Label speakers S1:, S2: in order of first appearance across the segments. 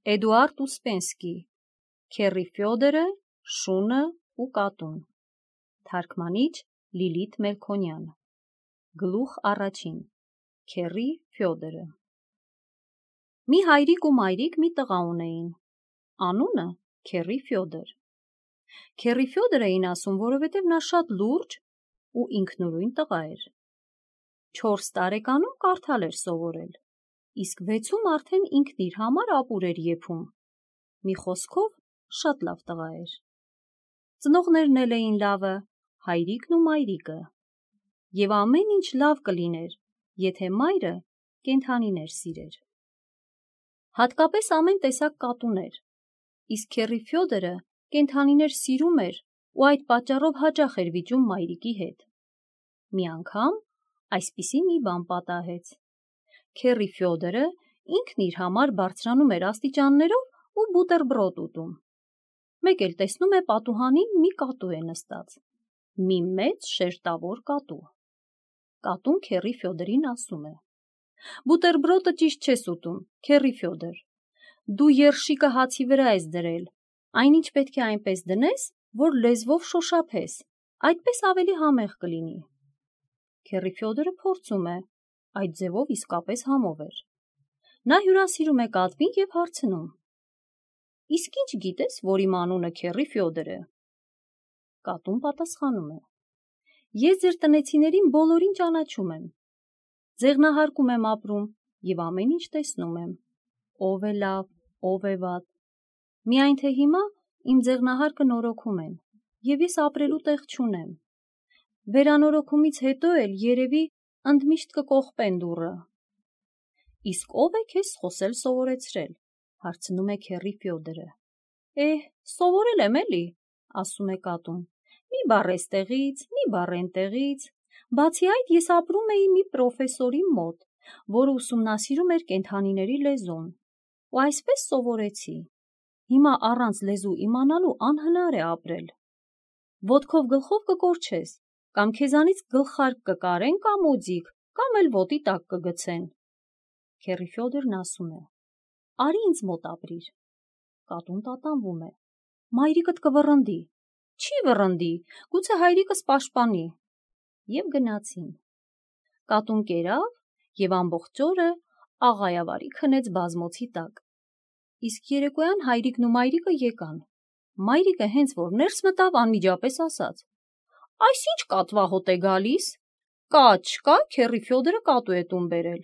S1: Էդուարդ Ուսպենսկի, Քեռի Ֆյոդորը, Շունը ու կատուն։ Թարգմանիչ Լիլիթ Մելքոնյան։ Գլուխ առաջին։ Քեռի Ֆյոդորը։ Մի հայրիկ ու մայրիկ մի տղա ունեին։ Անունը Քեռի Ֆյոդոր։ Քեռի Ֆյոդոր էին ասում, որովհետև նա շատ լուրջ ու ինքնուրույն տղա էր։ 4 տարեկանում կարդալ էր սովորել, իսկ 6-ում արդեն ինքն իր համար ապուր էր եփում։ Մի խոսքով շատ լավ տղա էր։ Ծնողներն էլ էին լավը, հայրիկն ու մայրիկը։ Եվ ամեն ինչ լավ կլիներ, եթե մայրը կենդանիներ սիրեր։ Հատկապես ամեն տեսակ կատուներ, իսկ Քեռի Ֆյոդորը կենդանիներ սիրում էր ու այդ պատճառով հաճախ էր վիճում մայրիկի հետ։ Մի անգամ այսպիսի մի բան պատահեց։ Քեռի Ֆյոդորը ինքն իր համար բարձրանում էր աստիճաններով ու բուտերբրոդ ուտում։ Մեկ էլ տեսնում է պատուհանին մի կատու է նստած։ Մի մեծ շերտավոր կատու։ Կատուն Քեռի Ֆյոդորին ասում է. «Բուտերբրոդը ճիշտ չես ուտում, Քեռի Ֆյոդոր։ Դու երշիկը հացի վրա ես դրել, այնինչ պետք է այնպես դնես, որ լեզվով շոշափես, այդպես ավելի համեղ կլինի»։ Քեռի Ֆյոդորը փորձում է, այդ ձևով իսկապես համով էր։ Նա հյուրասիրում է կատվին և հարցնում. «Իսկ ինչ գիտես, որ իմ անունը Քեռի Ֆյոդոր է»։ Կատուն պատասխանում է. «Ես ձեր տնեցիներին բոլորին ճանաչում եմ։ Ձեղնահարկում եմ ապրում և ամեն ինչ տեսնում եմ, ով է լավ, ով է վատ։ Միայն թե հիմա իմ ձեղնահարկը նորոգում են, և ես ապրելու տեղ չունեմ։ Վերանորոգումից հետո էլ երևի ընդմիշտ կկողպեն դուռը»։ «Իսկ ով է քեզ խոսել սովորեցրել»։ Հարցնում է Քեռի Ֆյոդորը։ Սովորել եմ էլի, ասում է կատուն, մի բառ էստեղից, մի բառ էնտեղից։ Բացի այդ, ես ապրում էի մի պրոֆեսորի մոտ, որը ուսումնասիրում էր կենդանիների լեզուն, ու այսպես սովորեցի։ Հիմա առանց լեզու իմանալու անհնար է ապրել։ Ոտքով գլխով կկորչես, կամ քեզանից գլխարկ կկարեն կամ օձիք, կամ էլ ոտի տակ կգցեն։ Քեռի Ֆյոդորն ասում է. «Արի ինձ մոտ ապրիր»։ Կատուն տատանվում է. «Մայրիկդ կվռնդի»։ «Չի վռնդի, գուցե հայրիկս պաշտպանի»։ Եվ գնացին։ Կատուն կերավ և ամբողջ օրը աղայավարի քնեց բազմոցի տակ։ Իսկ երեկոյան հայրիկն ու մայրիկը եկան։ Մայրիկը հենց որ ներս մտավ, անմիջապես ասաց. «Այս ինչ կատվահոտ է գալիս, կա չկա, Քեռի Ֆյոդորը կատու է տուն բերել»։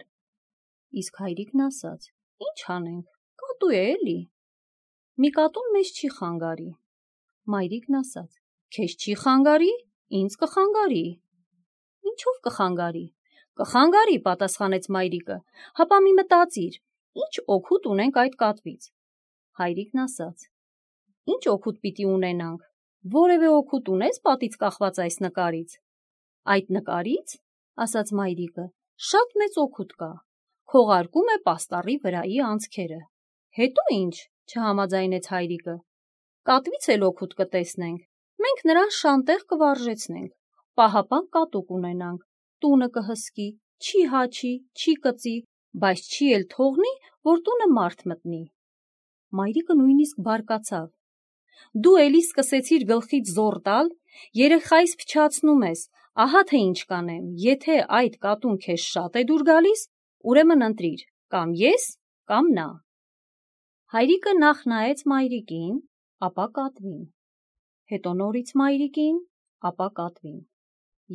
S1: Իսկ հայրիկն ասաց. «Ինչ անենք, կատու է էլի»։ Մի կատուն մեզ չի խանգարի։ Մայրիկն ասաց. «Քեզ չի խանգարի, ինձ կխանգարի»։ «Ինչով կխանգարի»։ «Կխանգարի», պատասխանեց մայրիկը, «հապա մի մտածիր, ինչ օգուտ ունենք այդ կատվից»։ Հայրիկն ասաց. «Ինչ օգուտ պիտի ունենանք, որևէ օգուտ ունես պատից կախված այս նկարից»։ «Այդ նկարից, ասաց մայրիկը, շատ մեծ օգուտ կա, քողարկում է պաստառի վրայի անցքերը»։ «Հետո ինչ», չհամաձայնեց հայրիկը։ «Կատվից էլ օգուտ կտեսնենք, մենք նրան շանտեղ կվարժեցնենք, պահապան կատու կունենանք, տունը կհսկի, չի հաչի, չի կծի, բայց չի էլ թողնի, որ տունը մարդ մտնի»։ Մայրիկը նույնիսկ բարկացավ. «Դու էլի սկսեցիր գլխից զոռ տալ, երեխայիս փչացնում ես, ահա թե ինչ կանեմ, եթե այդ կատուն քեզ շատ է դուր գալիս, ուրեմն ընտրիր, կամ ես, կամ նա»։ Հայրիկը նախ նայեց մայրիկին, ապա կատվին, հետո նորից մայրիկին, ապա կատվին։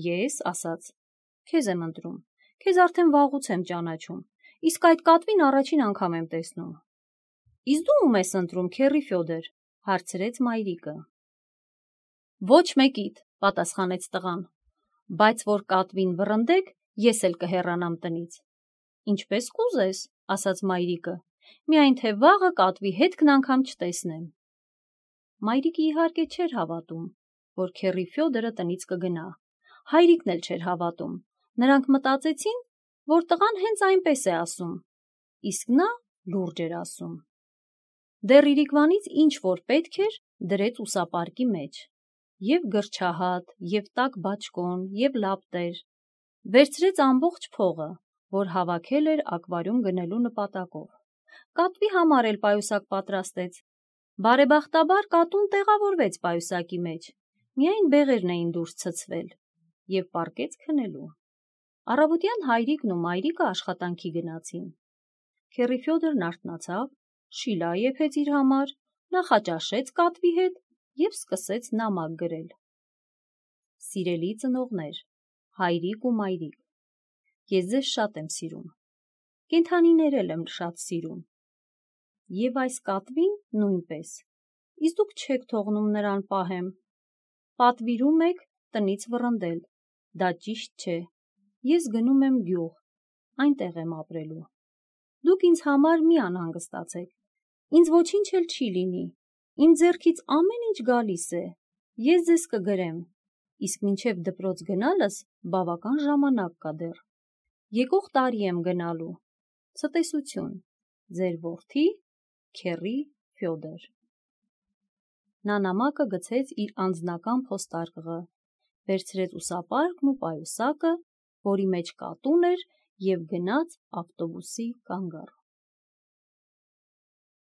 S1: «Ես, ասաց, քեզ եմ ընտրում, քեզ արդեն վաղուց եմ ճանաչում, իսկ այդ կատվին առաջին անգամ եմ տեսնում»։ «Իսկ դու ում ես ընտրում, Քեռի Ֆյոդոր», հարցրեց մայրիկը։ «Ոչ մեկիդ», պատասխանեց տղան, «բայց որ կատվին վռնդեք, ես էլ կհեռանամ տնից»։ «Ինչպես կուզես», ասաց մայրիկը, «միայն թե վաղը կատվի հետքն անգամ չտեսնեմ»։ Մայրիկը իհարկե չէր հավատում, որ Քեռի Ֆյոդորը տնից կգնա։ Հայրիկն էլ չէր հավատում։ Նրանք մտածեցին, որ տղան հենց այնպես է ասում, իսկ նա լուրջ էր ասում։ Դեռ իրիկվանից ինչ որ պետք էր, դրեց ուսապարկի մեջ։ Եվ գրչահատ, և տաք բաճկոն, և լապտեր։ Վերցրեց ամբողջ փողը, որ հավաքել էր ակվարիում գնելու նպատակով։ կատվի համար էլ պայուսակ պատրաստեց։ Բարեբախտաբար կատուն տեղավորվեց պայուսակի մեջ, միայն բեղերն էին դուրս ցցվել, և պառկեց քնելու։ Առավոտյան հայրիկն ու մայրիկը աշխատանքի գնացին։ Քեռի Ֆյոդորն արթնացավ, շիլա եփեց իր համար, նախաճաշեց կատվի հետ և սկսեց նամակ գրել։ Սիրելի ծնողներ, հայրիկ ու մայրիկ, ես ձեզ շատ եմ սիրում, կենդանիներ եմ շատ սիրում, և այս կատվին նույնպես, իսկ դուք չեք թողնում նրան պահեմ, պատվիրում եք տնից վռնդել, դա ճիշտ չէ, ես գնում եմ գյուղ, այնտեղ եմ ապրելու։ Դուք ինձ համար մի անհանգստացեք, ինձ ոչինչ էլ չի լինի, իմ ձեռքից ամեն ինչ գալիս է, ես ձեզ կգրեմ, իսկ մինչև դպրոց գնալս բավական ժամանակ կա դեռ։ Եկող տարի եմ գնալու։ Ցտեսություն, ձեր որդի Քեռի Ֆյոդոր։ Նա նամակը գցեց իր անձնական փոստարկղը, վերցրեց ուսապարկն ու պայուսակը, որի մեջ կատուն էր, և գնաց ավտոբուսի կանգառ։